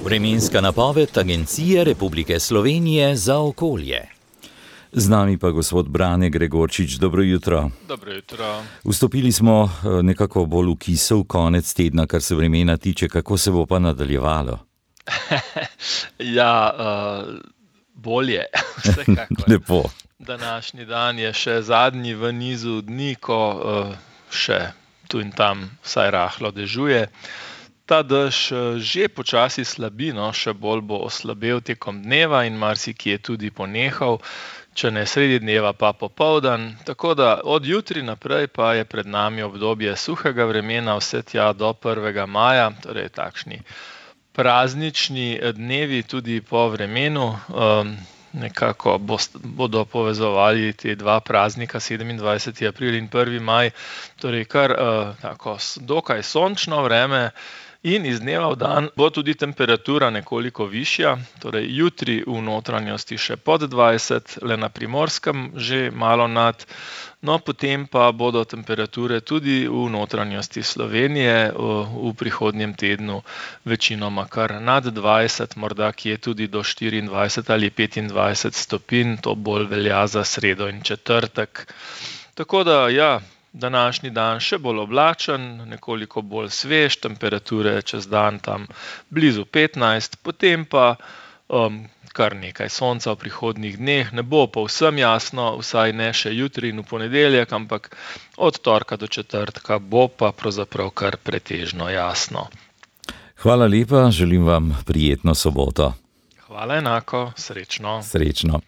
Vremenska napoved Agencije Republike Slovenije za okolje. Z nami pa gospod Brane Gregorčič, dobro jutro. Dobro jutro. Vstopili smo nekako bolj v kisel konec tedna, kar se vremena tiče, kako se bo pa nadaljevalo? Bolje, vsekakor. Lepo. Današnji dan je še zadnji v nizu dni, ko še tu in tam vsaj rahlo dežuje. Ta dež že počasi slabi, še bolj bo oslabel tekom dneva in marsikje tudi ponehal, če ne sredi dneva pa popoldan. Tako da od jutri naprej pa je pred nami obdobje suhega vremena vse tja do 1. maja, torej takšni praznični dnevi tudi po vremenu. Nekako bodo povezovali te dva praznika, 27. april in 1. maj, torej kar tako dokaj sončno vreme. In iz dneva v dan bo tudi temperatura nekoliko višja, torej jutri v notranjosti še pod 20, le na Primorskem že malo nad, potem pa bodo temperature tudi v notranjosti Slovenije v prihodnjem tednu večinoma kar nad 20, morda kje tudi do 24 ali 25 stopinj, to bolj velja za sredo in četrtek. Tako da današnji dan še bolj oblačen, nekoliko bolj svež, temperature čez dan tam blizu 15, potem pa kar nekaj sonca v prihodnjih dneh, ne bo povsem jasno, vsaj ne še jutri in v ponedeljek, ampak od torka do četrtka bo pa pravzaprav kar pretežno jasno. Hvala lepa, želim vam prijetno soboto. Hvala enako, srečno. Srečno.